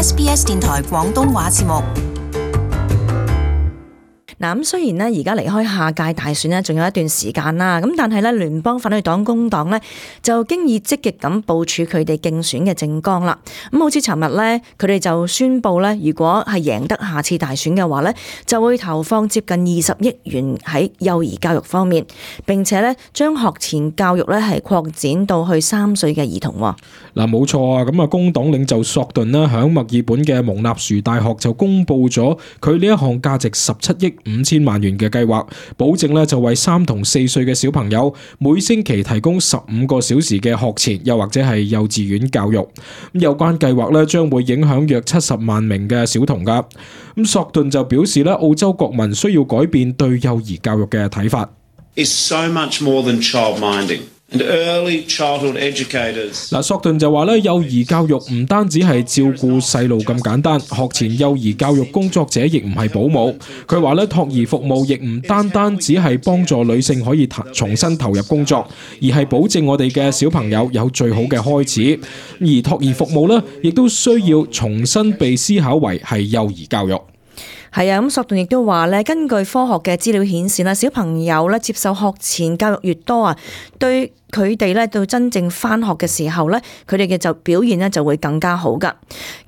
SBS 電台廣東話節目。嗱，咁雖然咧而家離開下屆大選咧，仲有一段時間啦，咁但係咧聯邦反對黨工黨咧就經已積極咁部署佢哋競選嘅政綱啦。咁好似尋日咧，佢哋就宣布咧，如果係贏得下次大選嘅話咧，就會投放接近20億元喺幼兒教育方面，並且咧將學前教育咧係擴展到去3歲嘅兒童。嗱，冇錯啊，咁啊工黨領袖索頓咧響墨爾本嘅蒙納殊大學就公布咗佢呢一項價值17億5千萬元嘅計劃，保證咧就為3同4歲嘅小朋友每星期提供15個小時嘅學前又或者係幼稚園教育。咁有關計劃咧將會影響約70萬名嘅小童噶。咁索頓就表示咧，澳洲國民需要改變對幼兒教育嘅睇法。Is so much more than childminding. And early childhood educators 嗱，索頓就話咧，幼兒教育唔單止係照顧細路咁簡單，學前幼兒教育工作者亦唔係保姆。佢話咧，托兒服務亦唔單單只係幫助女性可以重新投入工作，而係保證我哋嘅小朋友有最好嘅開始。而托兒服務咧，亦都需要重新被思考為係幼兒教育。係啊，咁索頓亦都話咧，根據科學嘅資料顯示啦，小朋友咧接受學前教育越多啊，對佢哋咧到真正返學嘅時候咧，佢哋嘅就表現咧就會更加好噶。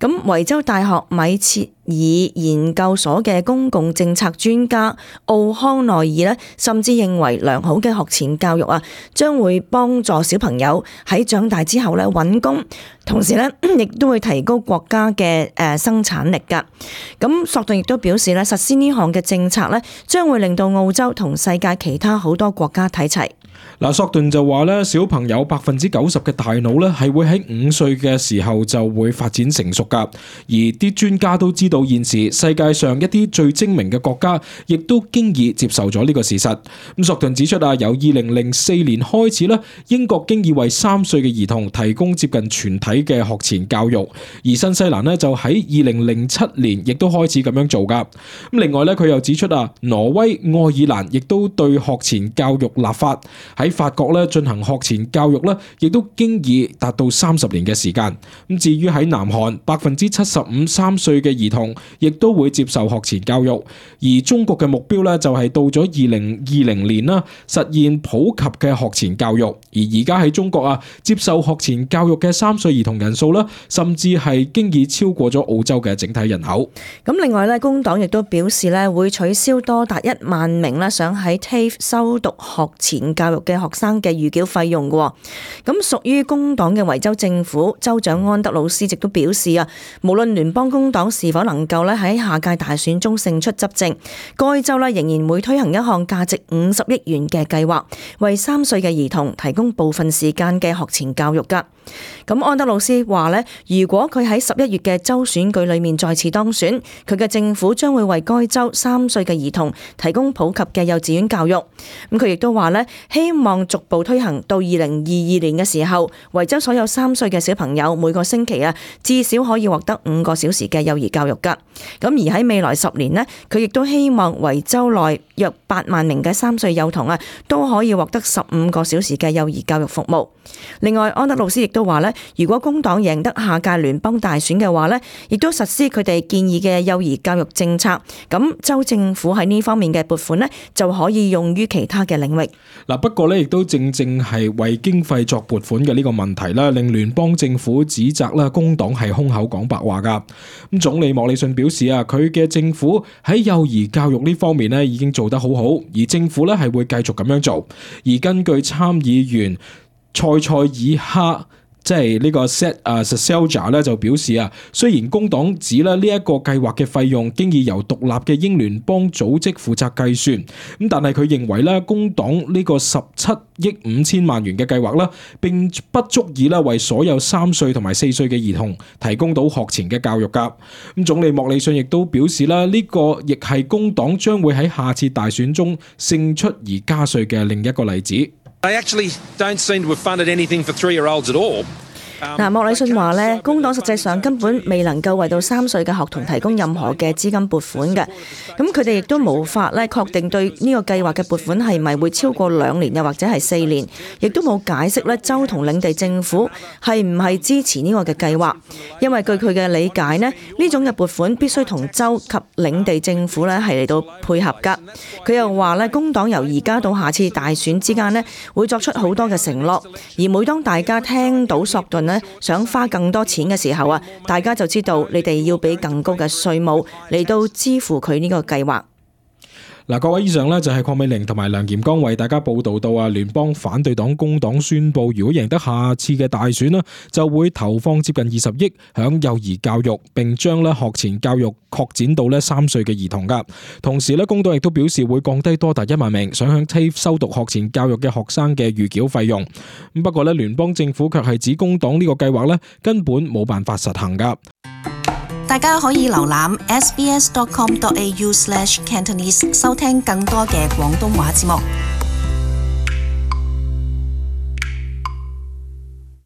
咁維州大學米切爾研究所嘅公共政策專家奧康內爾咧，甚至認為良好嘅學前教育啊，將會幫助小朋友喺長大之後咧揾工，同時咧亦都會提高國家嘅生產力噶。咁索頓亦都表示咧，實施呢項嘅政策咧，將會令到澳洲同世界其他好多國家睇齊。嗱，索頓就話咧，小朋友90%嘅大腦咧係會喺5歲嘅時候就會發展成熟噶，而啲專家都知道現時世界上一啲最精明嘅國家，亦都經已接受咗呢個事實。咁索頓指出啊，由2004年開始咧，英國經已為3歲嘅兒童提供接近全體嘅學前教育，而新西蘭咧就喺2007年亦都開始咁樣做噶。咁另外咧，佢又指出啊，挪威、愛爾蘭亦都對學前教育立法。喺法國咧進行學前教育咧，亦都經已達到30年嘅時間。咁至於喺南韓，75%3歲嘅兒童亦都會接受學前教育，而中國嘅目標咧就係到咗2020年啦，實現普及嘅學前教育。而而家喺中國啊，接受學前教育嘅3歲兒童人數啦，甚至係經已超過咗澳洲嘅整體人口。咁另外咧，工黨亦都表示咧，會取消多達1萬名咧想喺 TAFE 修讀學前教育嘅學生嘅預繳費用嘅。咁屬於工黨嘅維州政府州長安德魯斯亦都表示啊，無論聯邦工黨是否能夠咧喺下屆大選中勝出執政，該州咧仍然會推行一項價值50億元嘅計劃，為3歲嘅兒童提供部分時間嘅學前教育噶。咁安德魯斯話咧，如果佢喺11月嘅州選舉裏面再次當選，佢嘅政府將會為該州3歲嘅兒童提供普及嘅幼稚園教育。咁佢亦都話咧，希望逐步推行到2022年嘅時候，維州所有3歲嘅小朋友每個星期啊，至少可以獲得5個小時嘅幼兒教育噶。咁而喺未來10年呢，佢亦都希望維州內約8萬名嘅3歲幼童啊，都可以獲得15個小時嘅幼兒教育服務。另外，安德魯斯亦都話咧，如果工黨贏得下屆聯邦大選嘅話咧，亦都實施佢哋建議嘅幼兒教育政策，咁州政府喺呢方面嘅撥款咧，就可以用於其他嘅領域。嗱，不過咧，亦都正係為經費作撥款嘅呢個問題啦，令聯邦政府指責啦，工黨係空口講白話噶。咁總理莫里遜表示啊，佢嘅政府喺幼兒教育呢方面咧已經做得好好，而政府咧係會繼續咁樣做。而根據參議員塞爾哈，即係呢個 Selja 咧就表示啊，雖然工黨指咧呢一個計劃嘅費用經已由獨立嘅英聯邦組織負責計算，咁但係佢認為咧工黨呢個17億5千萬元嘅計劃啦，並不足以咧為所有3歲同埋4歲嘅兒童提供到學前嘅教育噶。咁總理莫里遜亦都表示啦，呢個亦係工黨將會喺下次大選中勝出而加稅嘅另一個例子。They actually don't seem to have funded anything for 3-year-olds at all. 莫里遜話呢，工黨實際上根本未能夠為到3歲嘅學童提供任何嘅資金撥款嘅，咁佢哋亦都無法咧確定對呢個計劃嘅撥款係咪會超過2年又或者係4年，亦都冇解釋咧州同領地政府係唔係支持呢個嘅計劃，因為據佢嘅理解呢，呢種嘅撥款必須同州及領地政府咧係嚟到配合噶。佢又話咧，工黨由而家到下次大選之間呢，會作出好多嘅承諾，而每當大家聽到索頓呢想花更多錢嘅時候啊，大家就知道你哋要俾更高嘅稅務嚟到支付佢呢個計劃。嗱，各位，以上呢就係鄺美玲同埋梁劍剛為大家報道到聯邦反對黨工黨宣布，如果贏得下次嘅大選，就會投放接近20億響幼兒教育，並將學前教育擴展到3歲嘅兒童噶。同時工黨亦都表示會降低多達1萬名想向 TAFE 修讀學前教育嘅學生嘅預繳費用。不過聯邦政府卻係指工黨呢個計劃根本冇辦法實行噶。大家可以瀏覽 sbs.com.au/Cantonese 收聽更多嘅廣東話節目。